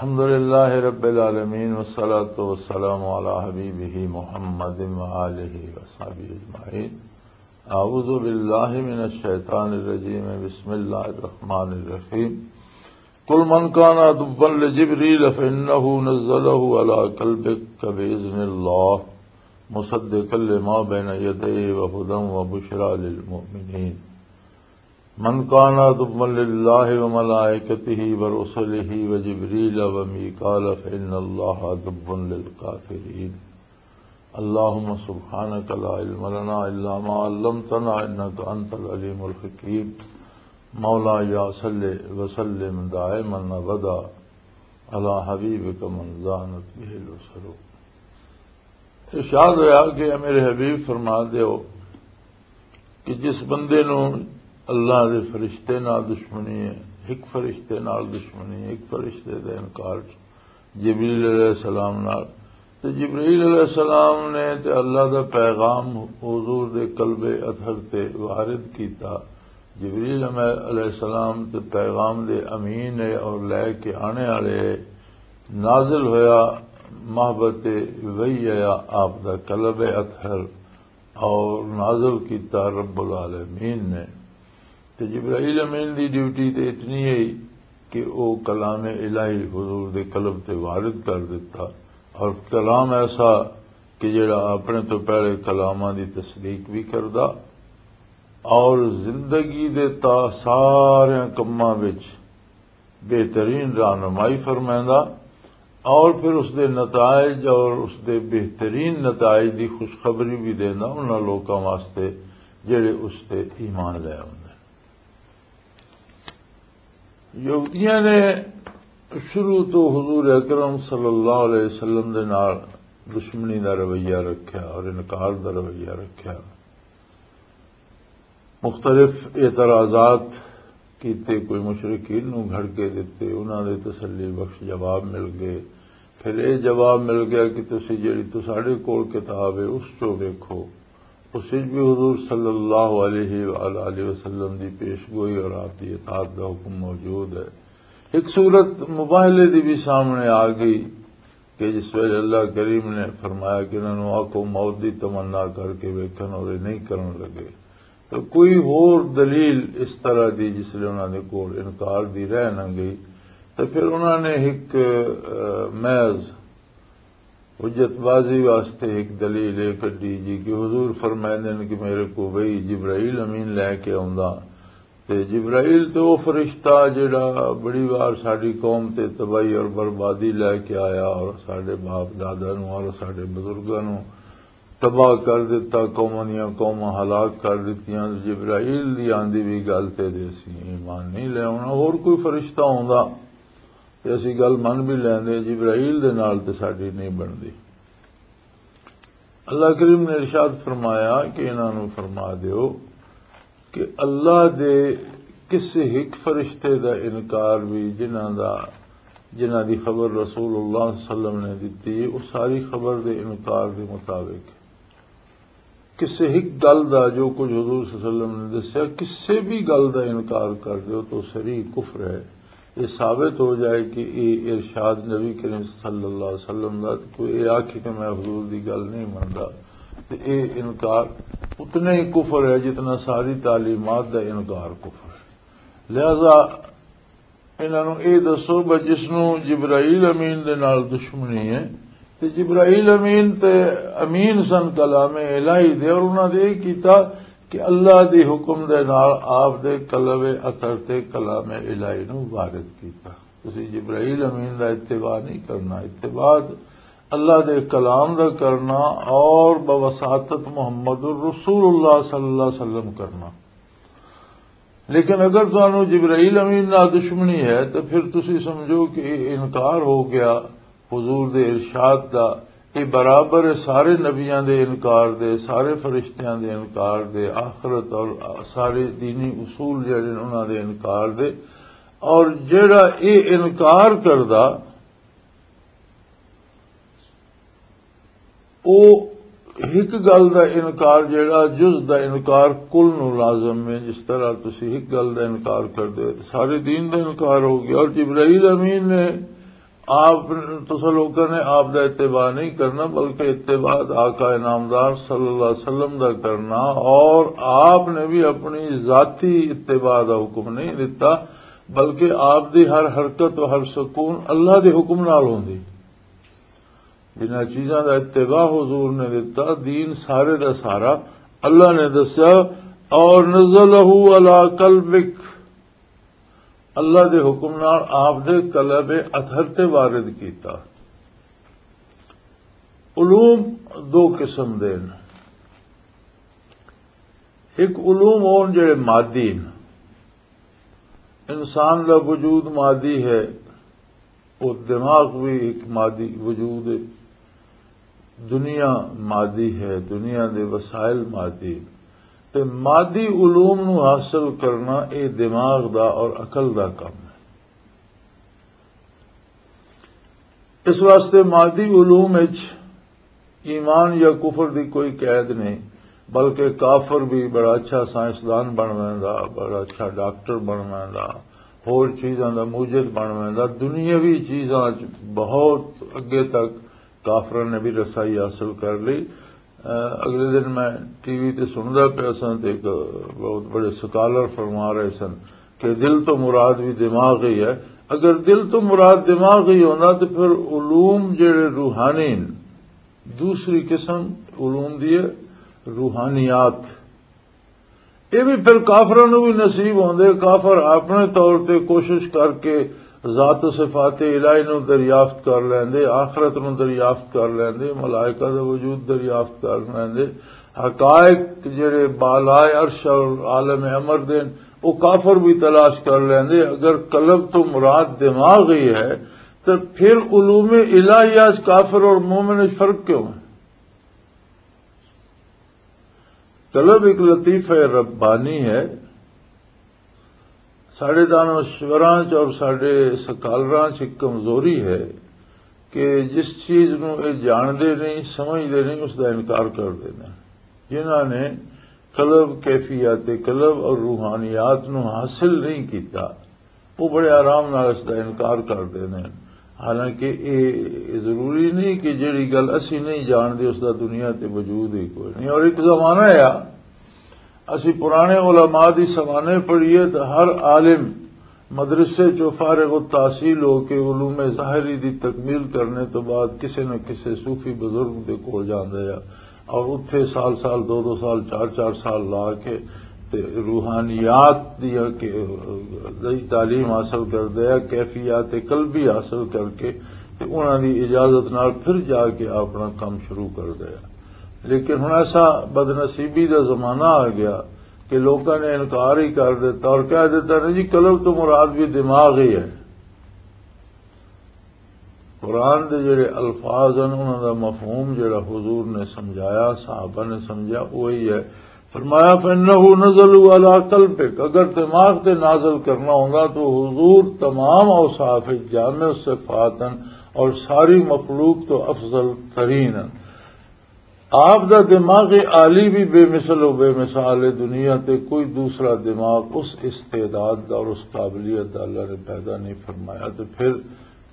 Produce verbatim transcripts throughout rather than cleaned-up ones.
الحمد لله رب العالمين، والصلاة والسلام على حبيبه محمد وآله وصحبه أجمعين. أعوذ بالله من الشيطان الرجيم. بسم الله الرحمن الرحيم. قل من كان عدوا لجبريل فإنه نزله على قلبك بإذن الله مصدقا لما بين يديه وهدى وبشرى للمؤمنين. من كان عدوا لله وملائكته ورسله وجبريل وميكال فإن الله عدو للكافرين. اللهم سبحانك لا علم لنا إلا ما علمتنا إنك أنت العليم الحكيم. مولاي صل وسلم دائما أبدا على حبيبك من زانت به الأسر. ارشاد ہویا کہ اے میرے حبیب، فرما دیو کہ جس بندے نو اللہ دے فرشتے نال دشمنی ہے، ایک فرشتے نال دشمنی، ایک فرشتے دا انکار، جبریل علیہ السلام نال، تے جبریل علیہ السلام نے تے اللہ دا پیغام حضور دے قلب اطہر تے وارد کیتا۔ جبریل علیہ السلام تے پیغام دے امین ہے اور لے کے آنے والے ہے۔ نازل ہویا محبت وحی آیا آپ دا قلب اطہر، اور نازل کیتا رب العالمین نے۔ تے جبرائیل امین دی ڈیوٹی تے اتنی ہے کہ او کلام الہی حضور دے قلب تے وارد کر دیتا، اور کلام ایسا کہ جڑا اپنے تو پہلے کلاماں دی تصدیق بھی کردا، اور زندگی دے تا سارے کماں وچ بہترین رہنمائی فرمائندا، اور پھر اس دے نتائج اور اس دے بہترین نتائج دی خوشخبری بھی دیندا انہاں لوکاں واسطے جڑے اس تے ایمان لے آوندے۔ یہودیاں نے شروع تو حضور اکرم صلی اللہ علیہ وسلم دے نال دشمنی دا رویہ رکھیا اور انکار دا رویہ رکھیا۔ مختلف اعتراضات کیتے، کوئی مشرکین نوں گھڑکے دتے، انہاں دے تسلی بخش جواب مل گئے۔ پھر اے جواب مل گیا کہ تسی جڑی تساڈے کول کتاب ہے، اس چوں ویکھو۔ اس وچ بھی حضور صلی اللہ علیہ وآلہ وسلم دی پیش گوئی اور آپ دی اطاعت دا حکم موجود ہے۔ ایک صورت مباہلے دی بھی سامنے آ گئی کہ جس ویلے اللہ کریم نے فرمایا کہ انہاں نوں آکھو موت دی تمنا کر کے ویکھن، اور یہ نہیں کرن لگے۔ تو کوئی ہور دلیل اس طرح دی جس لئے انہاں دے کول انکار دی رہ نہ گئی، تو پھر انہاں نے ایک، آ، محض حجت بازی واسطے ایک دلیل یہ کڈی جی کہ حضور فرمائندے نے کہ میرے کو وہی جبرائیل امین لے کے آوندا۔ تے جبرائیل تے او فرشتہ جڑا بڑی وار ساڈی قوم تے تباہی اور بربادی لے کے آیا، اور ساڈے باپ دادا نوں اور ساڈے بزرگاں نوں تباہ کر دتا، قوماں دیاں قوماں ہلاک کر دتیاں۔ جبرائیل دی آندی بھی گل تے دے اسی ایمان نہیں لے آنا۔ اور کوئی فرشتہ ہوندا تے اسی گل من بھی لیندے، جبرائیل دے نال تے ساڈی نہیں بندی۔ اللہ کریم نے ارشاد فرمایا کہ انہاں نوں فرما دیو کہ اللہ دے کسے ہک فرشتے دا انکار بھی، جنہاں دا، جنہاں دی خبر رسول اللہ صلی اللہ علیہ وسلم نے دتی، اس ساری خبر دے انکار دے مطابق کسے ہک گل دا، جو کچھ حضور صلی اللہ علیہ وسلم نے دسیا، کسے بھی گل دا انکار کر دیو تو سری کفر ہے۔ یہ ثابت ہو جائے کہ یہ ارشاد نبی کریم صلی اللہ علیہ وسلم دا، تے کوئی یہ آکھے کہ میں حضور دی گل نہیں مندا، تے یہ انکار اتنا ہی کفر ہے جتنا ساری تعلیمات دا انکار کفر۔ لہذا انہاں نوں اے دسو بھئی جس نوں جبرائیل امین دے نال دشمنی ہے، تے جبرائیل امین تے امین سن کلام الہی دے، اور انہاں دے اے کیتا کہ اللہ دی حکم دے نال آپ دے قلب اطہر تے کلام الہی نوں وارد کیتا۔ تسی جبرائیل امین دا اتباع نہیں کرنا، اتباع اللہ دے کلام دا کرنا، اور بوساطت محمد الرسول اللہ صلی اللہ علیہ وسلم کرنا۔ لیکن اگر تانوں جبرائیل امین نال دشمنی ہے، تے پھر تسی سمجھو کہ یہ انکار ہو گیا حضور دے ارشاد دا۔ یہ برابر ہے سارے نبیاں دے انکار دے، سارے فرشتیاں دے انکار دے، آخرت اور سارے دینی اصول جڑے نے انہاں دے انکار دے۔ اور جڑا یہ انکار کردا، او ہک گل دا انکار، جڑا جز دا انکار کل نو لازم ہے۔ جس طرح تسی ہک گل دا انکار کر دے، تے سارے دین دا انکار ہو گیا۔ اور جبرائیل امین نے آپ، تساں لوکاں نے آپ دا اتباع نہیں کرنا، بلکہ اتباع آقا انعامدار صلی اللہ علیہ وسلم دا کرنا، اور آپ نے بھی اپنی ذاتی اتباع دا حکم نہیں دیتا، بلکہ آپ دی ہر حرکت و ہر سکون اللہ دے حکم نال ہوندی۔ جنہاں چیزاں دا اتباع حضور نے دیتا، دین سارے دا سارا اللہ نے دسیا، اور نزلہ علی قلبک، اللہ دے حکم نال آپ دے قلب اطہر تے وارد کیتا۔ علوم دو قسم دے نے۔ ایک علوم ہون جڑے مادی نے، انسان دا وجود مادی ہے، وہ دماغ بھی ایک مادی وجود ہے، دنیا مادی ہے، دنیا دے وسائل مادی۔ تے مادی علوم نو حاصل کرنا، اے دماغ دا اور عقل دا کم ہے۔ اس واسطے مادی علوم وچ ایمان یا کفر دی کوئی قید نہیں، بلکہ کافر بھی بڑا اچھا سائنسدان بن ویندا، بڑا اچھا ڈاکٹر بن ویندا، ہور چیزاں دا موجد بن ویندا۔ دنیاوی چیزاں وچ بہت اگے تک کافراں نے بھی رسائی حاصل کر لی۔ اگلے دن میں ٹی وی تے سندا پیا سا تے ایک بہت بڑے سکالر فرما رہے سن کہ دل تو مراد بھی دماغ ہی ہے۔ اگر دل تو مراد دماغ ہی ہوندا تو پھر علوم جڑے روحانی نے، دوسری قسم علوم دی ہے، روحانیات۔ یہ بھی پھر کافراں نوں بھی نصیب ہوندے۔ کافر اپنے طور تے کوشش کر کے ذات و صفات الہی نوں دریافت کر لیندے، آخرت نوں دریافت کر لیندے، ملائکہ دا وجود دریافت کر لیندے، حقائق جڑے بالائے عرش اور عالم امر دے، وہ کافر بھی تلاش کر لیندے۔ اگر قلب تو مراد دماغ ہی ہے، تو پھر علوم الہیہ چ کافر اور مومن وچ فرق کیوں ہے؟ قلب ایک لطیفہ ربانی ہے۔ ساڈے دانشوراں چ اور ساڈے سکالراں چ ایک کمزوری ہے کہ جس چیز نو اے جاندے نہیں، سمجھدے نہیں، اس دا انکار کر دیندے ہیں۔ جنہاں نے قلب، کیفیات قلب اور روحانیات نو حاصل نہیں کیتا، وہ بڑے آرام نال اس دا انکار کر دیندے ہیں۔ حالانکہ اے ضروری نہیں کہ جڑی گل اسی نہیں جاندے، اس دا دنیا تے وجود ہی کوئی نہیں۔ اور ایک زمانہ آیا، اسی پرانے علماء دی سوانے پڑھیے تو ہر عالم مدرسے چوں فارغ التحصیل ہو کے علوم ظاہری دی تکمیل کرنے تو بعد کسے نہ کسے صوفی بزرگ دے کول جاندا ہے، اور اتھے سال سال، دو دو سال، چار چار سال لا کے تے روحانیات دیا کہ دی تعلیم حاصل کردا ہے، کیفیات قلبی حاصل کر کے تے انہاں دی اجازت نال پھر جا کے اپنا کم شروع کردا ہے۔ لیکن ہن ایسا بدنصیبی دا زمانہ آ گیا کہ لوکاں نے انکار ہی کر دیتا اور کہہ دیتا، نہیں جی، قلب تو مراد بھی دماغ ہی ہے۔ قرآن دے جڑے الفاظ ہیں، انہاں دا مفہوم جڑا حضور نے سمجھایا، صحابہ نے سمجھا، وہی ہے۔ فرمایا، فَإِنَّهُ نَزَلَ عَلَى قَلْبِكَ، اگر دماغ تے نازل کرنا ہوندا تو حضور تمام اوصاف جامع صفات ہیں اور ساری مخلوق تو افضل ترین ہیں۔ آپ دا دماغ عالی بھی بے مثل و بے مثال ہے، دنیا تے کوئی دوسرا دماغ اس استعداد دا اور اس قابلیت دا اللہ نے پیدا نہیں فرمایا۔ تے پھر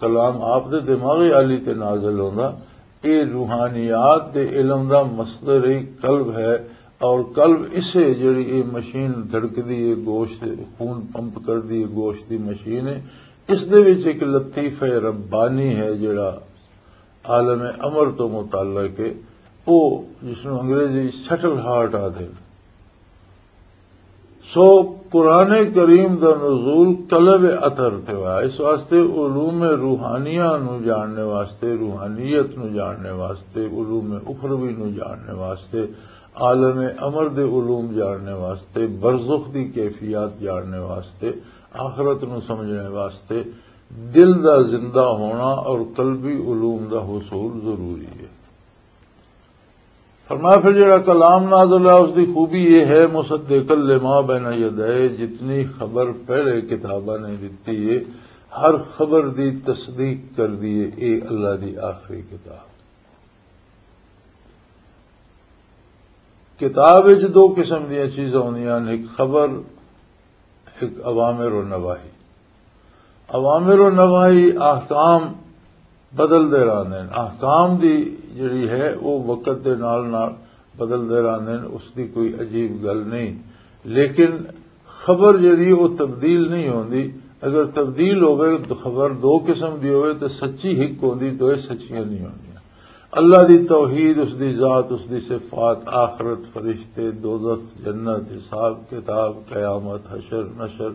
کلام آپ دے دماغ عالی تے نازل ہوندا۔ اے روحانیات دے علم دا مصدر ہی قلب ہے، اور قلب اسے جڑی اے مشین دھڑکدی ہے، گوشت خون پمپ کردی ہے، گوشت دی مشین ہے، اس دے وچ ایک لطیفہ ربانی ہے جڑا عالم امر تو متعلق ہے، او جس نوں انگریزی سٹل ہارٹ آدھے۔ سو قرآن کریم دا نزول قلب اطہر تے ہوا، اس واسطے علوم روحانیہ نو جاننے واسطے، روحانیت نو جاننے واسطے، علوم اخروی نو جاننے واسطے، عالم امر دے علوم جاننے واسطے، برزخ دی کیفیات جاننے واسطے، آخرت نو سمجھنے واسطے، دل دا زندہ ہونا اور قلبی علوم دا حصول ضروری ہے۔ فرمایا، پھر جڑا کلام نازل ہے، اس دی خوبی یہ ہے، مصدق لما بین یدے، جتنی خبر پہلے کتاباں نے دتی ہے، ہر خبر دی تصدیق کر دی ہے، اے اللہ دی آخری کتاب۔ کتاب وچ دو قسم دیاں چیزاں ہوندیاں نے، ایک خبر، ایک اوامر و نواہی۔ اوامر و نواہی احکام بدلدے رہندے نے۔ احکام دی جڑی ہے، وہ وقت دے نال نال بدلدے رہندے نے، اس دی کوئی عجیب گل نہیں۔ لیکن خبر جڑی، وہ تبدیل نہیں ہوندی۔ اگر تبدیل ہوئے تو خبر دو قسم دی ہوئے تو سچی ہک ہوندی، دوئے سچیاں نہیں ہوندیاں۔ اللہ دی توحید، اس دی ذات، اس دی صفات، آخرت، فرشتے، دوزخ، جنت، حساب کتاب، قیامت، حشر نشر،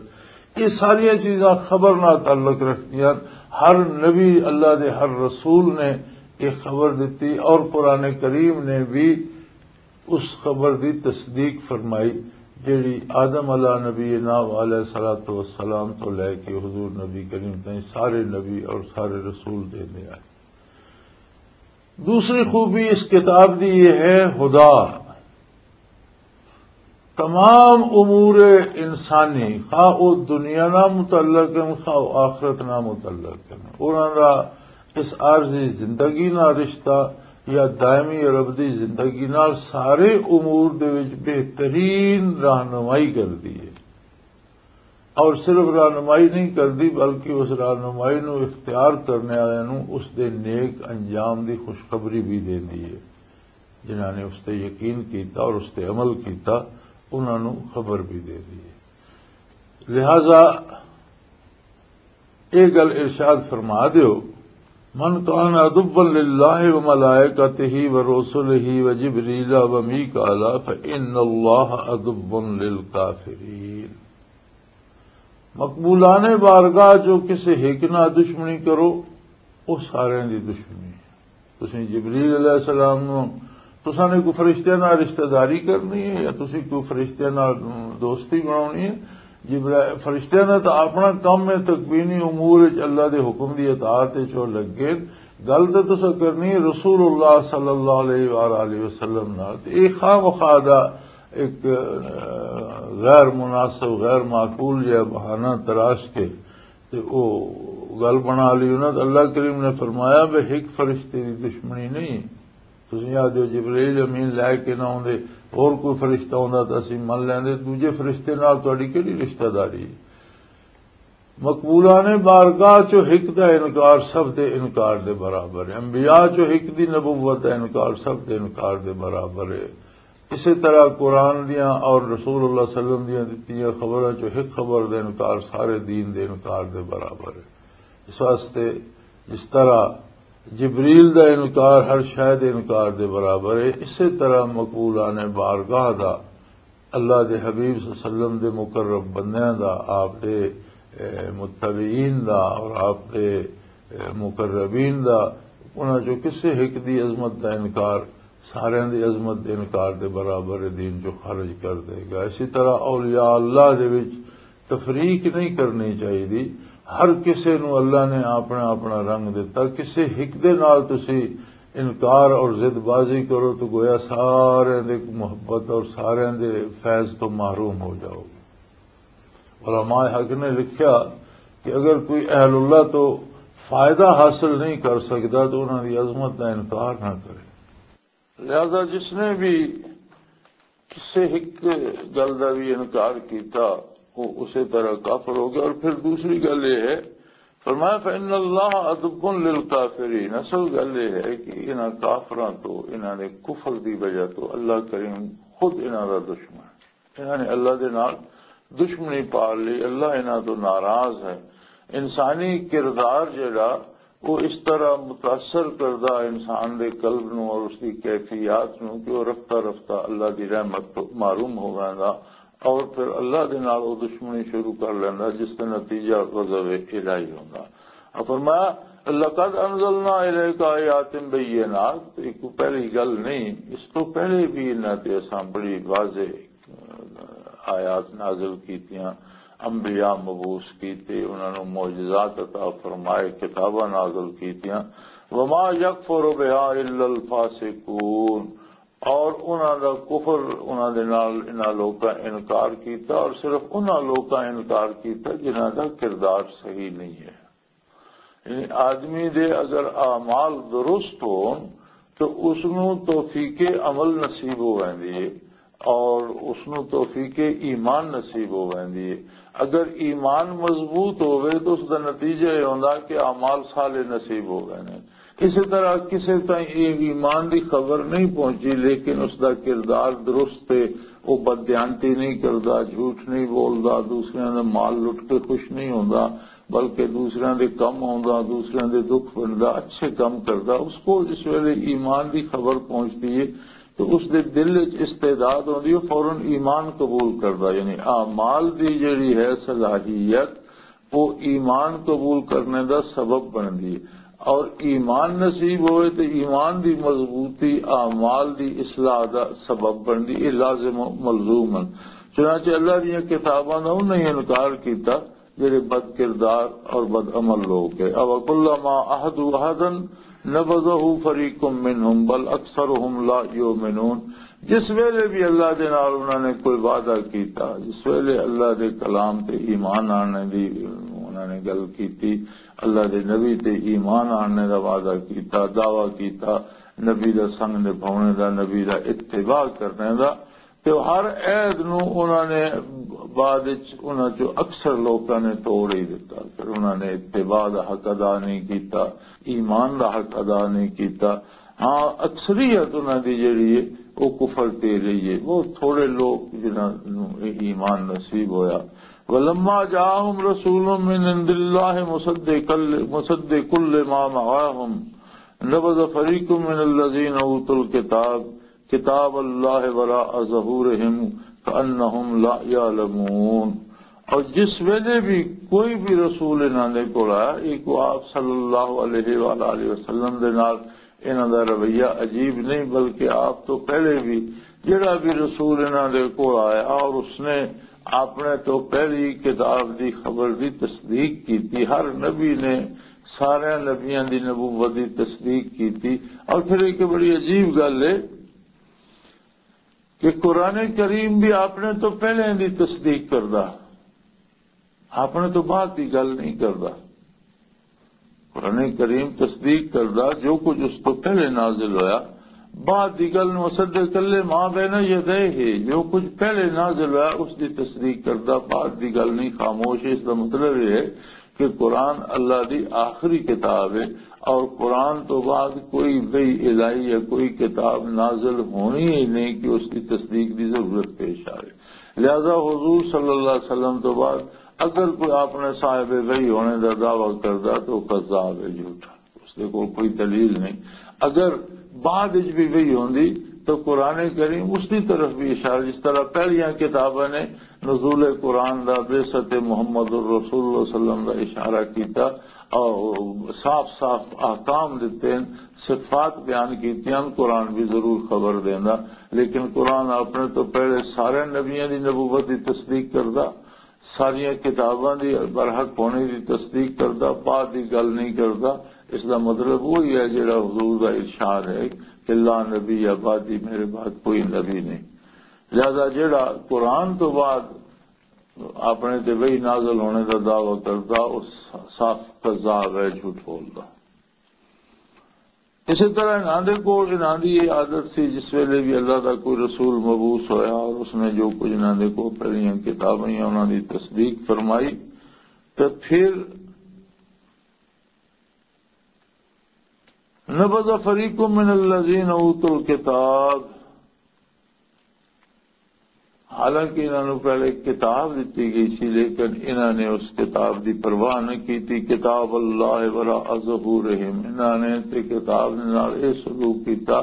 یہ ساریاں چیزاں خبر نال تعلق رکھدیاں۔ ہر نبی، اللہ دے ہر رسول نے یہ خبر دتی، اور قرآن کریم نے بھی اس خبر دی تصدیق فرمائی، جیڑی آدم علیہ نبینا علیہ الصلوۃ والسلام تو لے کے حضور نبی کریم تائیں سارے نبی اور سارے رسول دے دے آئے۔ دوسری خوبی اس کتاب دی یہ ہے، ہدا تمام امور انسانی، خواہ او دنیا نہ متعلق ہیں، خواہ او آخرت نہ متعلق ہیں، انہاں دا اس عارضی زندگی نال رشتہ یا دائمی اور ابدی زندگی نال سارے امور دے وچ بہترین رہنمائی کردی ہے۔ اور صرف رہنمائی نہیں کردی، بلکہ اس رہنمائی نو اختیار کرنے والے نو اس دے نیک انجام دی خوشخبری بھی دیندی ہے۔ جنہاں نے اس تے یقین کیتا اور اس تے عمل کیتا، انہاں نو خبر بھی دیندی ہے۔ لہذا یہ گل ارشاد فرما دیو، من کان عدوا للہ و ملائکتہ و رسلہ و جبریل و میکال فإن اللہ عدو للکافرین۔ مقبولان بارگاہ جو کسے ہک نال دشمنی کرو، وہ سارے دی دشمنی ہے۔ تسیں جبریل علیہ السلام نو، تساں نے کوئی فرشتیاں نال رشتہ داری کرنی ہے یا تسیں کوئی فرشتیاں نال دوستی بناونی ہے؟ جبرا-، فرشتیاں دا تاں اپنا کم ہے، تکوینی امور وچ اللہ دے حکم دی اطاعت وچ او لگے۔ گل تے تساں کرنی ہے رسول اللہ صلی اللہ علیہ وآلہ وسلم نال۔ تے اے خواہ مخواہ دا ایک، آ، غیر مناسب، غیر معقول جہا بہانہ تراش کے تے او گل بنا لی انہاں۔ تے اللہ کریم نے فرمایا، "بے ہک فرشتے دی دشمنی نہیں۔ تسیں آدھے ہو جبرائیل امین لے کے نہ آوندے، اور کوئی فرشتہ ہوندا تاں اسی من لیندے، دوجے فرشتے نال تہاڈی کیڑی رشتہ داری ہے؟" مقبولان بارگاہ چوں ہک دا انکار سب دے انکار دے برابر ہے۔ انبیاء چوں ہک دی نبوت دا انکار سب دے انکار دے برابر ہے۔ اسی طرح قرآن دیاں اور رسول اللہ صلی اللہ علیہ وسلم دیاں دتیاں خبراں چوں ہک خبر دا انکار سارے دین دے انکار دے برابر ہے۔ اس واسطے جس طرح جبریل دا انکار ہر شے دے انکار دے برابر ہے، اسی طرح مقبولان بارگاہ دا، اللہ دے حبیب صلی اللہ علیہ وسلم دے مقرب بندیاں دا، آپ دے، اے، متبعین دا اور آپ دے، اے، مقربین دا، انہاں چوں کسے ہک دی عظمت دا انکار ساریاں دی عظمت دے انکار دے برابر ہے، دین چوں خارج کر دے گا۔ اسی طرح اولیاء اللہ دے وچ تفریق نہیں کرنی چاہیے۔ ہر کسے نو اللہ نے اپنا اپنا رنگ دتا۔ کسے ہک دے نال تسی انکار اور ضد بازی کرو تو گویا سارے دے محبت اور سارے دے فیض تو محروم ہو جاؤ گے۔ علماء حق نے لکھیا کہ اگر کوئی اہل اللہ تو فائدہ حاصل نہیں کر سکتا تو انہاں دی عظمت دا انکار نہ کرے۔ لہذا جس نے بھی کسے ہک گل دا بھی انکار کیتا، وہ اسے طرح کافر ہو گیا۔ اور پھر دوسری گل یہ ہے، فرمایا، "فإن اللہ عدو للکافرین۔" اصل گل یہ ہے کہ انہاں کافراں تو، انہاں نے کفر دی وجہ تو اللہ کریم خود انہاں دا دشمن ہے۔ انہاں نے اللہ دے نال دشمنی پال لی، اللہ انہاں تو ناراض ہے۔ انسانی کردار جڑا، وہ اس طرح متاثر کردا انسان دے قلب نو اور اس دی کیفیات نو کہ وہ رفتہ رفتہ اللہ دی رحمت تو محروم ہو ویندا اور پھر اللہ دے نال وہ دشمنی شروع کر لیندا، جس دا نتیجہ غضب الہی ہوندا۔ اور فرمایا، "لقد انزلنا الیک آیات بینات"، یہ کوئی پہلی گل نہیں، اس تو پہلے بھی انہاں تے اساں بڑی واضح آیات نازل کیتیاں، انبیاء مبعوث کیتے، انہاں نوں معجزات عطا فرمائے، کتاباں نازل کیتیاں۔ "وما یکفر بها الا الفاسقون"، اور انہاں دا کفر، انہاں دے نال انہاں لوکاں انکار کیتا، اور صرف انہاں لوکاں انکار کیتا جنہاں دا کردار صحیح نہیں ہے۔ یعنی آدمی دے اگر اعمال درست ہون تو اس نوں توفیق عمل نصیب ہو ویندی ہے، اور اس نوں توفیق ایمان نصیب ہو ویندی ہے۔ اگر ایمان مضبوط ہووے تو اس دا نتیجہ یہ ہوندا کہ اعمال صالح نصیب ہو ویندے۔ اسی طرح کسے تائیں یہ ایمان دی خبر نہیں پہنچی، لیکن اس دا کردار درست ہے، وہ بددیانتی نہیں کردا، جھوٹ نہیں بولدا، دوسریاں دا مال لٹ کے خوش نہیں ہوندا، بلکہ دوسریاں دے کم آوندا، دوسریاں دے دکھ ونڈدا، اچھے کم کردا۔ اس کو جس ویلے ایمان دی خبر پہنچدی ہے تو اس دے دل وچ استعداد ہوندی ہے، فوراً ایمان قبول کردا۔ یعنی اعمال دی جڑی ہے صلاحیت، وہ ایمان قبول کرنے دا سبب بندی ہے۔ اور ایمان نصیب ہوئے تو ایمان دی مضبوطی اعمال دی اصلاح دا سبب بندی، یہ لازم و ملزوم ہے۔ چنانچہ اللہ دیاں کتاباں دا انہاں ہی انکار کیتا جڑے بد کردار اور بد عمل لوگ ہیں۔ او کلما عہدوا عہدا نبذہ فریق منہم بل اکثرہم لا یؤمنون۔ جس ویلے بھی اللہ دے نال انہاں نے کوئی وعدہ کیتا، جس ویلے اللہ دے کلام تے ایمان آنے دی انہاں نے گل کیتی، اللہ دے نبی تے ایمان آنے دا وعدہ کیتا، دعویٰ کیتا، نبی دا سنگ نبھاونے دا، نبی دا اتباع کرنے دا، تے ہر عہد نوں انہاں نے بعد وچ انہاں چوں اکثر لوکاں نے توڑ ہی دتا۔ پھر انہاں نے اتباع دا حق ادا نہیں کیتا، ایمان دا حق ادا نہیں کیتا۔ ہاں، اکثریت انہاں دی جڑی ہے، وہ کفر تے رہی ہے۔ بہت تھوڑے لوگ جنہاں نوں ایمان نصیب ہویا۔ ولما جاءهم رسول من عند الله مصدق مصدق لما معهم نبذ فريق من الذين اوتوا الكتاب کتاب اللہ وراء ظہورہم کأنہم لا یعلمون۔ اور جس ویلے بھی کوئی بھی رسول انہاں دے کول آیا، ایک وہ آپ صلی اللہ علیہ وآلہ وسلم دے نال انہاں دا رویہ عجیب نہیں، بلکہ آپ تو پہلے بھی جڑا بھی رسول انہاں دے کول آیا اور اس نے اپنے تو پہلی کتاب دی خبر دی تصدیق کی تھی۔ ہر نبی نے سارے نبیاں دی نبوت دی تصدیق کی تھی۔ اور پھر ایک بڑی عجیب گل ہے کہ قرآن کریم بھی اپنے تو پہلے دی تصدیق کردا، اپنے تو بعد دی گل نہیں کردا۔ قرآن کریم تصدیق کردا جو کچھ اس تو پہلے نازل ہویا، بعد دی گل نو مصدق لما بین یدیہ، جو کچھ پہلے نازل ہویا اس دی تصدیق کردا، بعد دی گل نہیں خاموش۔ اس دا مطلب یہ ہے کہ قرآن اللہ دی آخری کتاب ہے، اور قرآن تو بعد کوئی وحی الہی یا کوئی کتاب نازل ہونی ہی نہیں کہ اس کی تصدیق دی ضرورت پیش آئے۔ لہذا حضور صلی اللہ علیہ وسلم تو بعد اگر کوئی اپنے صاحب وحی ہونے دا دعویٰ کردا تو وہ کذاب ہے، جھوٹا، اس دے کول کوئی دلیل نہیں۔ اگر بعد وچ بھی وحی ہوندی تو قرآن کریم اس دی طرف بھی اشارہ، جس طرح پہلیاں کتاباں نے نزول قرآن دا، بعثت محمد الرسول اللہ علیہ وسلم دا اشارہ کیتا اور صاف صاف احکام دتے ہیں، صفات بیان کیتیاں، قرآن بھی ضرور خبر دیندا۔ لیکن قرآن اپنے تو پہلے سارے نبیاں دی نبوت دی تصدیق کردا، ساریاں کتاباں دی برحق ہونے دی تصدیق کردا، بعد دی گل نہیں کردا۔ اس دا مطلب وہی ہے جڑا حضور دا ارشاد ہے کہ لا نبی یا بعدی، میرے بعد کوئی نبی نہیں۔ لہذا جڑا قرآن تو بعد اپنے تے وحی نازل ہونے دا دعویٰ کردا، او صاف کذاب ہے، جھوٹ بولدا۔ اسی طرح انہاں دے کول، انہاں دی یہ عادت سی، جس ویلے بھی اللہ دا کوئی رسول مبعوث ہویا اور اس نے جو کچھ انہاں دے کول پہلیاں کتاباں یا انہاں دی تصدیق فرمائی، تے پھر نبذ فریق من الذین اوتوا الکتاب، حالانکہ انہاں نوں پہلے کتاب دتی گئی سی، لیکن انہاں نے اس کتاب دی پرواہ نہ کیتی۔ کتاب اللہ وراء ظہورہم، انہاں نے تے کتاب دے نال اے سلوک کیتا،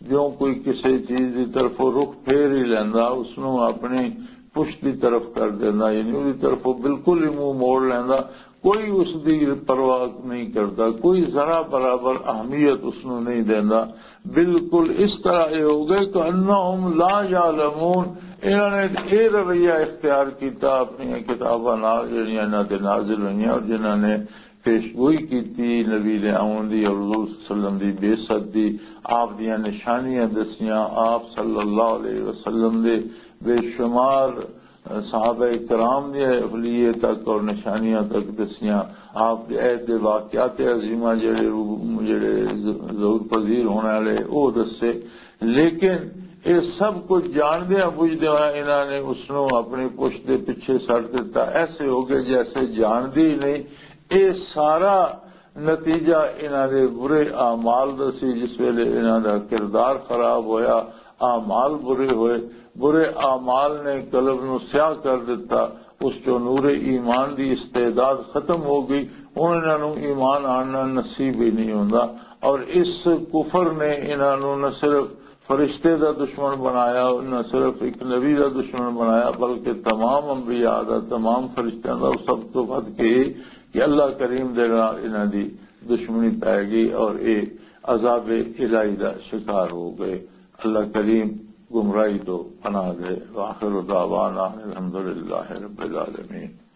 جو کوئی کسے چیز دی طرفوں رخ پھیر ہی لیندا، اس نوں اپنی پشت دی طرف کر دیندا، یعنی اودی طرفوں بالکل ہی منہ موڑ لیندا۔ کوئی اس دی پرواہ نہیں کردا، کوئی ذرا برابر اہمیت اس نوں نہیں دیندا۔ بالکل اس طرح یہ ہو گئے کہ انہم لا یعلمون، انہاں نے یہ رویہ اختیار کیتا اپنی کتاباں نال جڑیاں انہاں تے نازل ہوئیاں اور جنہاں نے پیش گوئی کیتی نبی دے آون دی اور حضور صلی اللہ علیہ وسلم دی بعثت دی، آپ دیاں نشانیاں دسیاں، آپ صلی اللہ علیہ وسلم دے بے شمار صحابہ کرام دے حلیے تک اور نشانیاں تک دسیاں، آپ دے عہد دے واقعات عظیمہ جڑے رو-، جڑے ظ-، ظہور پذیر ہونے والے، وہ دسے۔ لیکن یہ سب کچھ جاندیاں بوجھدے ہوئے انہاں نے اس نوں اپنی پشت دے پیچھے سٹ دتا۔ ایسے ہو گئے جیسے جاندے ہی نہیں۔ یہ سارا نتیجہ انہاں دے برے اعمال دا سی۔ جس ویلے انہاں دا کردار خراب ہویا، اعمال برے ہوئے، برے اعمال نے قلب نوں سیاہ کر دتا۔ اس چوں نور ایمان دی استعداد ختم ہو گئی۔ ہن انہاں نوں ایمان آننا نصیب ہی نہیں ہوندا۔ اور اس کفر نے انہاں نوں نہ صرف فرشتے دا دشمن بنایا، نہ صرف ایک نبی دا دشمن بنایا، بلکہ تمام انبیاء دا، تمام فرشتیاں دا، اور سب تو ود کے یہ کہ اللہ کریم دے نال انہاں دی دشمنی پی گئی اور یہ عذاب الہی دا شکار ہو گئے۔ اللہ کریم گمراہی تو پناہ دے۔ وآخر دعوانا الحمدللہ رب العالمین۔